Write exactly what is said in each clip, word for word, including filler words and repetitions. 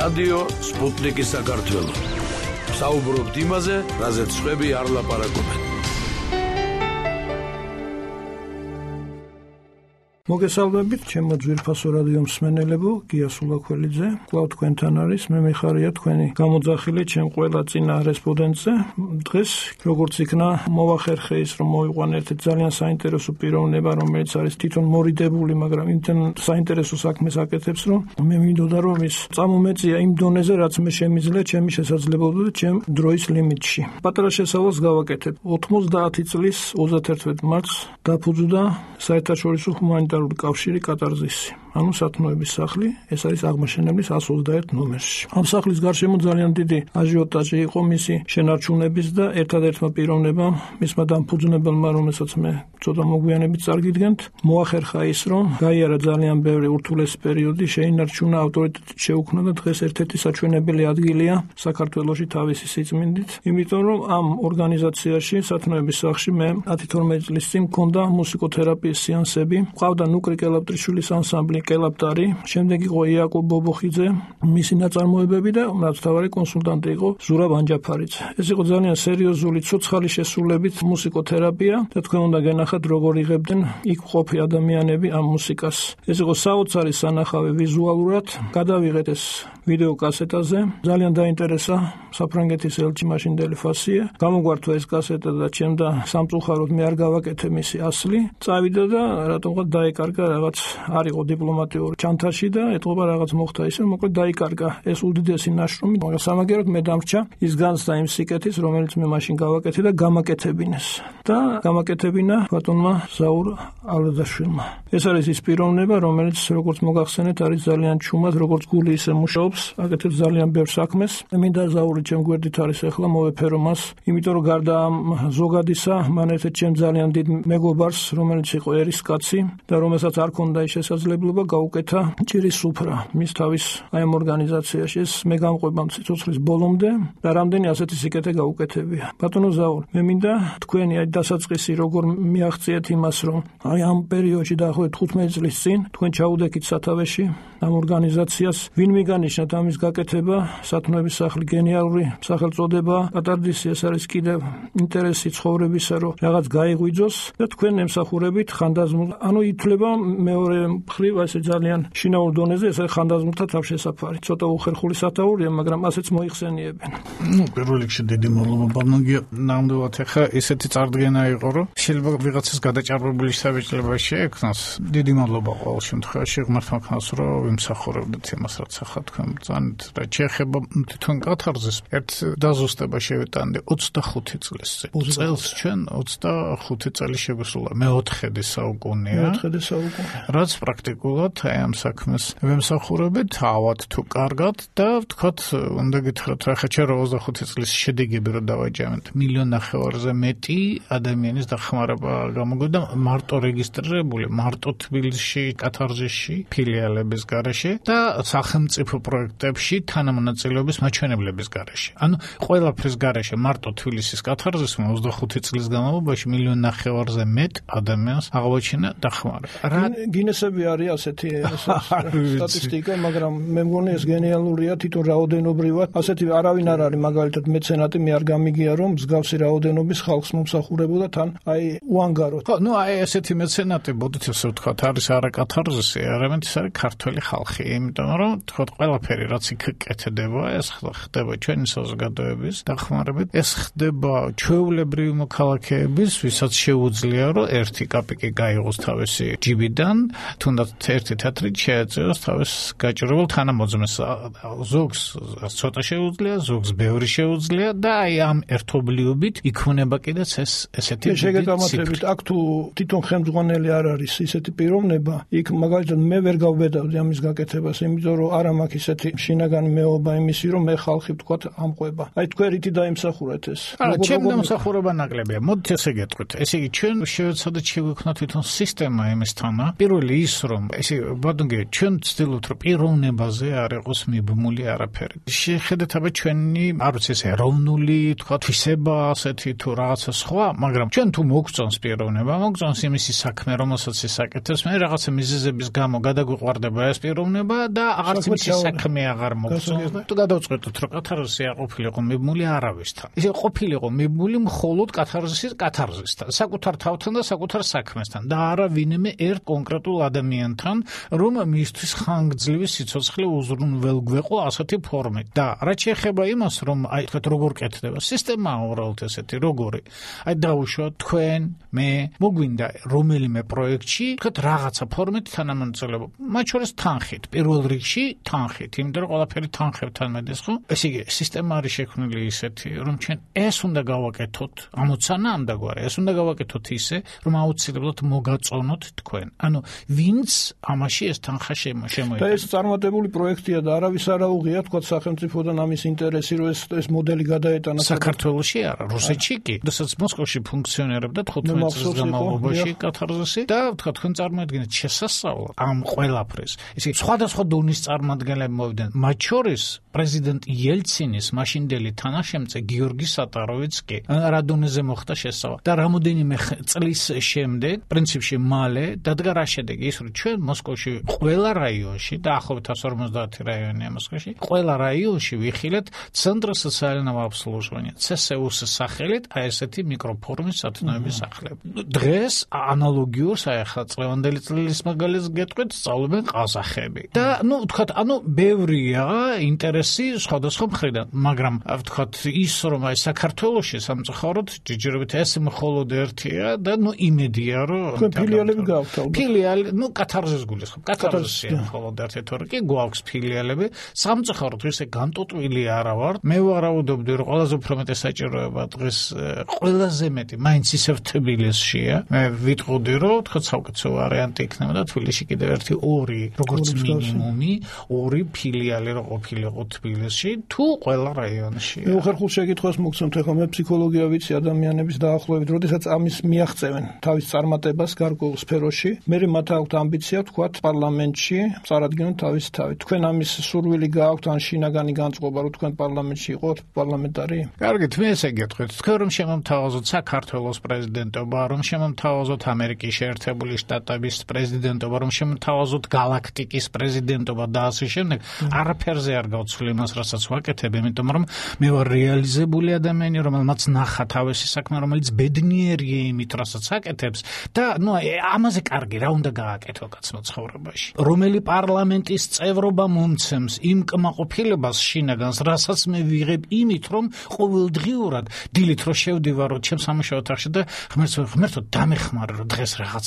რადიო სპუტნიკის საქართველო. საუბრობთ იმაზე, რაზეც სხვები არ ლაპარაკობენ. მოგესალმებით, ჩემო ძვირფასო რადიო მსმენელებო, გია სულაქველიძე, კვლავ თქვენთან არის, მე მიხარია თქვენი გამოძახილი ჩემ ყველა წინა რესპონდენტზე. დღეს როგორც იქნა მოვახერხე ის, რომ მოვიყვან ერთ ძალიან საინტერესო პიროვნება, რომელიც არის თვითონ მორიდებული, მაგრამ იმთან საინტერესო საქმეს აკეთებს, რომ მე მინდოდა რომ ის წამომეწია იმ დონეზე, რაც მე შემიძლია ჩემი შესაძლებლობებით და ჩემ დროის ლიმიტში. პატარა შესავალს გავაკეთებ. ოცდაათი წლის ოცდაათი მარტს დაფუძნდა საერთაშორისო ჰუმანიტარული კავშირი კატარზისი. ანუ სათნოების სახლი, ეს არის აღმაშენებლის εκατს ოცდაერთი ნომერში. ამ სახლის გარშემო ძალიან დიდი აჟიოტაჟი იყო მისი შენარჩუნების და ერთადერთმა პიროვნებამ, მისმა დამფუძნებელმა, რომელსაც მე ცოტა მოგვიანებით წარგიდგენთ, მოახერხა ის, რომ გაიარა ძალიან ბევრი ურთულესი პერიოდი, შეინარჩუნა ავტორიტეტით შეუქმნა და დღეს ერთ-ერთი საჩვენებელი ადგილია საქართველოში თავისი სიწმინდით, იმიტომ რომ ამ ორგანიზაციაში, სათნოების სახლში მე ათი-თორმეტი წლის წინ მქონდა მუსიკოთერაპიის სეანსები, ყავდა ნუკრი კელაპტრიშვილის ანსამბლი კელაპტარი, შემდეგ იყო იაკობ ბობოხიძე, მისი ნაწარმოებები და რაც თავარი კონსულტანტი იყო ზურაბ ანჯაფარიძე. ეს იყო ძალიან სერიოზული, ცოცხალი შესრულებით მუსიკოთერაპია და თქვენ უნდა გენახათ როგორ იღებდნენ იქ ყოფი ადამიანები ამ მუსიკას. ეს იყო საოცარი სანახავი ვიზუალურად, გადავიღეთ ეს ვიდეო კასეტაზე, ძალიან დაინტერესა საფრანგეთის ელჩი მაშინდელი ფასია, გამოგვართვა ეს კასეტა და ჩემ და სამწუხაროდ მე არ გავაკეთე მისი ასლი, წავიდა და რატომღაც დაიკარგა რაღაც არ იყო დიპლომატიური ჩანთაში და ეთყობა რაღაც მოხდა ისე, მოკლედ დაიკარგა ეს უდიდესი ნაშრომი, მაგრამ სამაგეროდ მე დამრჩა ის განცდა იმ სიკეთის, რომელიც მე მაშინ გავაკეთე და გამაკეთებინეს და გამაკეთებინა ბატონმა ზაურ ალადაშვილმა. ეს არის ის პიროვნება, რომელიც როგორც მოგახსენეთ არის ძალიან ჩუმად, როგორც გული ისე მუშაობს, აკეთებს ძალიან ბევრ საქმეს. მინდა ზაური ჩემ გვერდით არის ახლა, მოვეფერო მას, იმიტომ რომ გარდა ამ ზოგადისა, მან ერთ-ერთ ჩემ ძალიან დიდ მეგობარს, რომელიც იყო ერისკაცი და რომელსაც არ ქონდა ის შესაძლებლობა გაუკეთა ჭირის სუფრა მის თავის აი ამ ორგანიზაციაში. ეს მე გამყვება სიცოცხლის ბოლომდე და რამდენი ასეთი სიკეთე გაუკეთებია. ბატონო ზაურ, მე მინდა თქვენი აი დასაწყისი როგორ მიაღწიეთ იმას, რომ აი ამ პერიოდში დაახლოებით თხუთმეტი წლის წინ თქვენ ჩაუდექით სათავეში ამ ორგანიზაციას, ვინ მიგანიშნათ ამის გაკეთება, სათნოების სახლი გენიალური სახელწოდება, კატარზისი ეს არის კიდევ ინტერესი ცხოვრებისა, რომ რაღაც გაიღვიძოს და თქვენ ემსახურებით ხანდაზმულ, ანუ ითვლება მეორე მხრივ ესე ძალიან შინაურ დონეზე, ეს ხანდაზმულთა თავშესაფარი. ცოტა უხერხული სათაურია, მაგრამ ასეც მოიხსენიებენ. ნუ პირველ რიგში დიდი მადლობა ბანოგია, ნამდვილად ახლა ესეთი წარდგენა იყო, რომ შეიძლება ვიღაცას გადაჭარბებული საბჭოება შეექმნას. დიდი მადლობა ყოველ შემთხვევაში ღმერთმა ქონას, რომ ვიმსახურებდით იმას, რაც ახლა თქვენ ბრძანეთ. და შეეხება თვითონ კათარზის ერთ დაზუსტება შევიტანდი ოცდახუთი წლის წინ. წელს ჩვენ ოცდახუთი წელი შეგვისულა, მეოთხედი საუკუნეა. მეოთხედი საუკუნე. რაც პრაქტიკულად აი ამ საქმეს ვემსახურებით, ავად თუ კარგად და ვთქვათ, უნდა გითხრათ, რა ხა ჩვენ ოცდახუთი წლის შედეგები რო დავაჯამეთ, მილიონ ნახევარზე მეტი ადამიანის დახმარება გამოგვიდა მარტო რეგისტრირებული, მარტო თბილისში, კათარზისში, ფილიალების გარეშე და სახელმწიფო პროექტებში თანამონაწილეობის მაჩვენებლების გარეშე. ანუ ყველაფრის გარეშე მარტო თბილისის კათარზისმა ოცდახუთი წლის განმავლობაში მილიონ ნახევარზე მეტ ადამიანს აღმოჩინა დახმარება. გინესები არის ასეთი სტატისტიკა, მაგრამ მე მგონი ეს გენიალურია თვითონ რაოდენობრივად. ასეთი არავინ არ არის მაგალითად მეცენატი, მე არ გამიგია რომ მსგავსი რაოდენობის ხალხს მომსახურებოდა თან აი უანგაროდ. ხო, ნუ აი ესეთი მეცენატი, ბოდით ესე ვთქვათ, არის არა კათარზისი, არამედ ის არის ქართველი ხალხი, იმიტომ რომ ვთქვათ ყველაფერი რაც იქ კეთდება, ეს ხდება ჩვენი საზოგადოების დახმარებით, ეს ხდება ჩვეულებრივი მოქალაქეების, ვისაც შეუძლია რომ ერთი კაპიკი გაიღოს თავისი ჯიბიდან, თუნდაც ერთი თეთრით შეეწევოს თავის გაჭირებულ თანამოძმეს. ზოგს ცოტა შეუძლია, ზოგს ბევრი შეუძლია და აი ამ ერთობლიობით იქმნება კიდეც ეს ესეთი შეგეთამაშებით. აქ თუ თვითონ ხელმძღვანელი არ არის ისეთი პიროვნება, იქ მაგალითად მე ვერ გავბედავდი ამის გაკეთებას, იმიტომ რომ არა მაქვს ისეთი შინაგანი მეობა იმისი, რომ მე ხალხი ვთქვათ ამყვება. აი თქვენ რითი დაიმსახურეთ ეს? არა, ჩემ დამსახურება ნაკლებია. მოდით ესე გეტყვით. ესე იგი ჩვენ შევეცადეთ შევექმნათ თვითონ სისტემა იმისთანა. პირველი ის რომ ესე ბოდნგე ჩვენ ვცდილობთ რომ პიროვნებაზე არ იყოს მიბმული არაფერი. შეხედეთ აბა ჩვენი არ ვიცი ეს ეროვნული თქვა თვისება ასეთი თუ რაღაცა სხვა, მაგრამ ჩვენ თუ მოგწონს პიროვნება, მოგწონს იმისი საქმე, რომელსაც ის აკეთებს, მე რაღაცა მიზეზების გამო გადაგვიყვარდება ეს პიროვნება და აღარც იმისი საქმე აღარ მოგწონს და თუ გადავწყვეტოთ რომ კათარზისი არ ყოფილიყო მიბმული არავისთან. ისე ყოფილიყო მიბმული მხოლოდ კათარზისის კათარზისთან, საკუთარ თავთან და საკუთარ საქმესთან და არა ვინმე ერთ კონკრეტულ ადამიანთან, რომ მისთვის ხანგრძლივი სიცოცხლე უზრუნველგვეყო ასეთი ფორმით. და რაც შეეხება იმას, რომ აი თქვათ როგორ კეთდება სისტემა უბრალოდ ესეთი როგორი. აი დაუშვათ თქვენ, მე, მოგვინდა რომელიმე პროექტში თქვათ რაღაცა ფორმით თანამონაწილეობა. მათ შორის თანხით, პირველ რიგში თანხით, იმიტომ რომ ყველაფერი თანხებთან მედეს, ხო? ესე იგი სისტემა არის შექმნილი ისეთი, რომ ჩვენ ეს უნდა გავაკეთოთ, ამოცანა ამდაგვარი, ეს უნდა გავაკეთოთ ისე, რომ აუცილებლად მოგაწონოთ თქვენ. ანუ ვინც ამაში ეს თანხა შემოიჭრა. და ეს წარმატებული პროექტია და არავის არ აუღია თქვათ სახელმწიფოდან ამის ინტერესი, რომ ეს ეს მოდელი გადაეტანა საქართველოში არა, რუსეთში კი. როდესაც მოსკოვში ფუნქციონირებდა თხუთმეტ წლის განმავლობაში კათარზისი და თქვა თქვენ წარმოედგინეთ შესასწავლად ამ ყველაფრის. ისე სხვადასხვა დონის წარმომადგენლები მოვიდნენ, მათ შორის პრეზიდენტ იელცინის მაშინდელი თანაშემწე გიორგი სატაროვიცკი რა დონეზე მოხდა შესწავლა და რამოდენიმე წლის შემდეგ პრინციპში მალე დადგა რა შედეგი ის რომ ჩვენ მოსკოვში ყველა რაიონში და ახლობით ათას ორმოცდაათი რაიონია მოსკოვში ყველა რაიონში ვიხილეთ ცენტრ სოციალურ აბსოლუტურია ცე ეს იუს-ის სახელით აი ესეთი მიკროფორმის სათნოების სახლები. დღეს ანალოგიურს აი ახლა წლევანდელი წლის მაგალითს გეტყვით სწავლობენ ყაზახები და ნუ თქვათ ანუ ბევრია ინტერესი სხვადასხვა მხრიდან, მაგრამ ვთქვათ ის რომ აი საქართველოში სამწუხაროდ ჯიჯირობით ეს მხოლოდ ერთია და ნუ იმედია რომ ფილიალები გაქვთ ალბათ. ფილიალი ნუ კათარზის გულისხმობ. კათარზისია მხოლოდ ერთი თორე კი გვაქვს ფილიალები. სამწუხაროდ ისე განტოტვილი არა ვარ. მე ვარაუდობდი რომ ყველაზე უფრო მეტი საჭიროება დღეს ყველაზე მეტი მაინც ისევ თბილისშია. მე ვიტყოდი რომ თქვათ საუკეთესო ვარიანტი იქნება და თბილისში კიდევ ერთი ორი როგორც მინიმუმი ორი ფილიალი რო ყოფილიყო თბილისში თუ ყველა რაიონში. მე უხერხულ შეკითხვას მოგცემთ, ახლა მე ფსიქოლოგია ვიცი ადამიანების დაახლოებით, როდესაც ამის მიაღწევენ თავის წარმატებას გარკვეულ სფეროში, მე მათ აქვთ ამბიცია თქვათ პარლამენტში წარადგინონ თავის თავი. თქვენ ამის სურვილი გააქვთ ან შინაგანი განწყობა რომ თქვენ პარლამენტში იყოთ პარლამენტარი? კარგით, მე ესე გეტყვით, თქვენ რომ შემომთავაზოთ საქართველოს პრეზიდენტობა, რომ შემომთავაზოთ ამერიკის შეერთებული შტატების პრეზიდენტობა, რომ შემომთავაზოთ galaktikis პრეზიდენტობა და ასე შემდეგ, არაფერზე არ გავცვლი იმას, რასაც ვაკეთებ, იმიტომ რომ მე ვარ რეალიზებული ადამიანი, რომელმაც ნახა თავისი საქმე, რომელიც ბედნიერია იმით, რასაც აკეთებს და ნუ ამაზე კარგი რა უნდა გააკეთო კაცმა ცხოვრებაში. რომელი პარლამენტის წევრობა მომცემს იმ კმაყოფილებას შინაგანს, რასაც მე ვიღებ იმით, რომ ყოველდღიურად დილით რო შევდივარ ჩემ სამუშაო ოთახში და ღმერთო ღმერთო დამეხმარო რომ დღეს რაღაც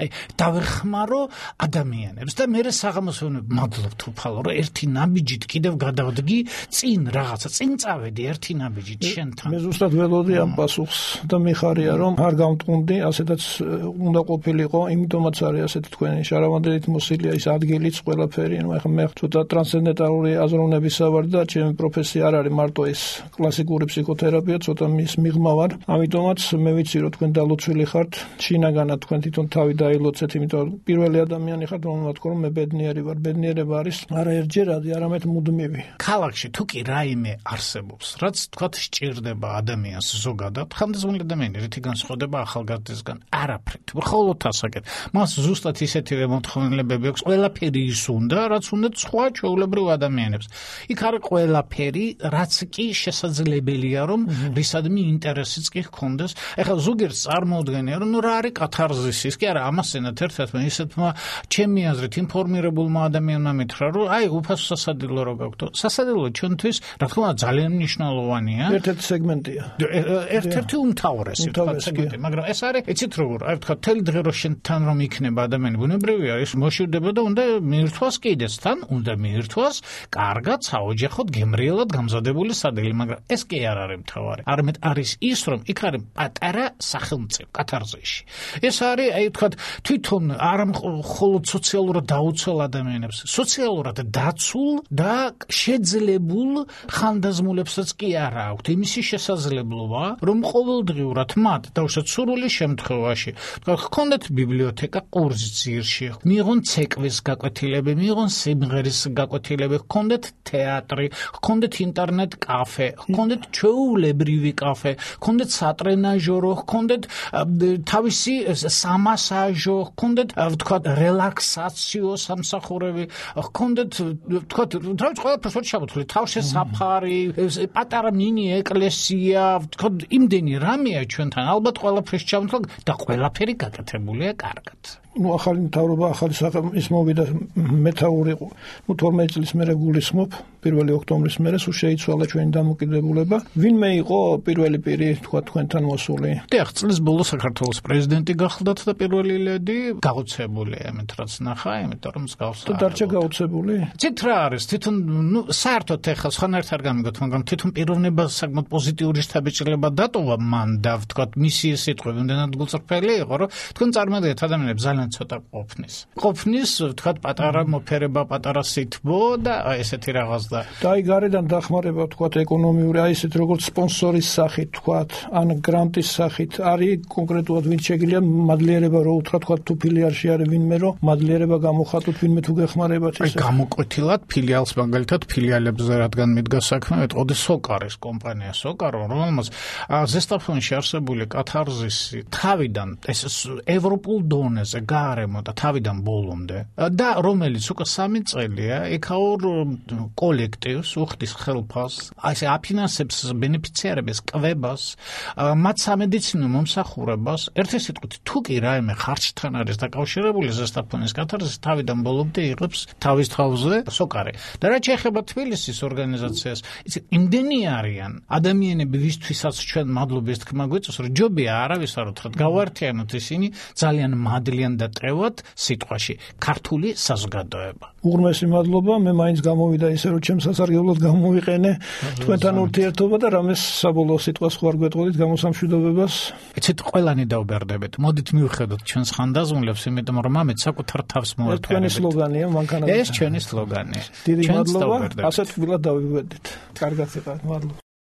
აი დავეხმარო ადამიანებს და მე საღამოს ვეუბნები მადლობთ უფალო რომ ერთი ნაბიჯით კიდევ გადავდგი წინ რაღაცა წინ წავედი ერთი ნაბიჯით შენთან. მე ზუსტად ველოდი ამ პასუხს და მიხარია რომ არ გამტყუნდი, ასეთაც უნდა ყოფილიყო, იმიტომაც არის ასეთი თქვენი შარავანდელით მოსილია ის ადგილიც ყველაფერი, ну ახლა მე ცოტა ტრანსცენდენტალური აზროვნების სავარ და ჩემი პროფესია არ არის მარტო ეს კლასიკური ფსიქოთერაპია, ცოტა მის მიღმა ვარ. ამიტომაც მე ვიცი რომ თქვენ დალოცვილი ხართ, შინაგანად თქვენ თვითონ თავი დაილოცეთ, იმიტომ რომ პირველი ადამიანი ხართ, რომელმაც თქვა რომ მე ბედნიერი ვარ. ბედნიერება არის არა ერთჯერადი, არამედ მუდმივი. ქალაქში თუ კი რაიმე არსებობს, რაც თქვათ სჭირდება ადამიანს ზოგადად, ხანდაზმული ადამიანი რითი განსხვავდება ახალგაზრდისგან? არაფრით. მხოლოდ ასაკეთ. მას ზუსტად ისეთივე მოთხოვნილებები აქვს, ყველაფერი ის უნდა, რაც უნდა სხვა ჩვეულებრივ ადამიანებს. იქ არის ყველაფერი, რაც კი შესაძლებელია რომ რისადმი ინტერესიც კი ჰქონდეს. ეხლა ზოგიერთს წარმოუდგენია რომ ნუ რა არის კათარზისი, კი არა, ამასენად ერთ-ერთმა ისეთმა ჩემი აზრით ინფორმირებულმა ადამიანმა მითხრა რომ აი უფასო სასადილო რო გაქვთ. სასადილო ჩვენთვის რა თქმა უნდა ძალიან მნიშვნელოვანია. ერთ-ერთი სეგმენტია. ერთ-ერთი უმთავრესი სეგმენტი, მაგრამ ეს არის იცით როგორ, აი თქვა თელი დღე რო შენთან რომ იქნება ადამიანი, ბუნებრივია ის მოშივდება და უნდა მიირთვას კიდეც თან, უნდა მიირთვას კარგად, საოჯახოდ, გემრიელად გამზადებული სადილი, მაგრამ ეს კი არ არის მთავარი. არამედ არის ის რომ იქ არის პატარა სახელმწიფო კათარზიში. ეს არის აი თქვა თვითონ არ მხოლოდ სოციალურად დაუცველ ადამიანებს, სოციალურად დაცულ და შეძლებულ ხანდაზმულებსაც კი არა აქვთ იმისი შესაძლებლობა, რომ ყოველდღიურად მათ დავუშვათ სურვილი შემთხვევაში, ჰქონდეთ ბიბლიოთეკა ყურძის ძირში, მიიღონ ცეკვის გაკვეთილები, მიიღონ სიმღერის გაკვეთილები, ჰქონდეთ თეატრი, ჰქონდეთ ინტერნეტ კაფე, ჰქონდეთ ჩვეულებრივი კაფე, ჰქონდეთ სატრენაჟორო, ჰქონდეთ თავისი სამასაჟო, ჰქონდეთ ვთქვათ რელაქსაციო სამსახურები, ჰქონდეთ ვთქვათ თავის ყველაფერს ჩამოთვლი, თავშესაფარი, პატარა მინი ეკლესია, ვთქვათ იმდენი რამეა ჩვენთან, ალბათ ყველაფერს ჩამოთვალ და ყველაფერი გაკეთებულია კარგად. ну ახალი მთავრობა ახალი საქმის მოვიდა მეთაური ну თორმეტი წლის მერე გულისხმობ პირველი ოქტომბრის მერე სულ შეიცვალა ჩვენი დამოკიდებულება ვინმე იყო პირველი პირი თქვა თქვენთან მოსული დიახ წლის ბოლოს საქართველოს პრეზიდენტი გახლდათ და პირველი ლედი გაუცებულია ამით რაც ნახა იმიტომ რომ მსგავსა თუ დარჩა გაუცებული ცით რა არის თვითონ ну საერთოდ ეხლა სხვანაირად არ გამიგოთ მაგრამ თვითონ პიროვნება საკმაოდ პოზიტიური შთაბეჭდილება დატოვა მან და ვთქვა მისი სიტყვები უნდათ გულწრფელი იყო რომ თქვენ წარმოიდგინეთ ადამიანებს ძალიან ცოტა ყოფნის. ყოფნის, ვთქვათ, პატარა მოფერება, პატარა სითბო და ესეთი რაღაც და და აი გარედან დახმარება, ვთქვათ, ეკონომიური, აი ესეთ როგორც სპონსორის სახით, ვთქვათ, ან გრანტის სახით, არის კონკრეტულად ვინც შეგიძლია მადლიერება რო უთხრა, ვთქვათ, თუ ფილიალში არის ვინმე რო მადლიერება გამოხატოთ, ვინმე თუ გეხმარებათ ეს. აი გამოკვეთილად ფილიალს მაგალითად ფილიალებზე რადგან მიდგა საქმე, ეტყოდი სოკარის კომპანია, სოკარო, რომელმაც ზესტაფონში არსებული კათარზისი თავიდან ეს ევროპულ დონეზე გარემო და თავიდან ბოლომდე და რომელიც უკვე სამი წელია ეკაურ კოლექტივს უხდის ხელფას აი ეს აფინანსებს ბენეფიციარების კვებას მათ სამედიცინო მომსახურებას ერთი სიტყვით თუ კი რაიმე ხარჯთან არის დაკავშირებული ზესტაფონის კათარზის თავიდან ბოლომდე იღებს თავის თავზე სოკარი და რაც შეეხება თბილისის ორგანიზაციას იცი იმდენი არიან ადამიანები ვისთვისაც ჩვენ მადლობის თქმა გვიწევს რომ ჯობია არავის არ უთხრათ გავაერთიანოთ ისინი ძალიან მადლიან და ტევად სიტყვაში ქართული საზოგადოება. უღრმესი მადლობა, მე მაინც გამოვიდა ისე რომ ჩემს სასარგებლოდ გამოვიყენე თქვენთან ურთიერთობა და რამეს საბოლოო სიტყვას ხوار გვეტყოდით გამოსამშვიდობებას. ეცეთ ყველანი დაუბერდებით. მოდით მივხედოთ ჩვენს ხანდაზმულებს, იმიტომ რომ ამეთ საკუთარ თავს მოერთ. თქვენი სლოგანია, მანქანა. ეს ჩვენი სლოგანია. დიდი მადლობა, ასეთ თბილად დავიგვედით. კარგად იყავით, მადლობა.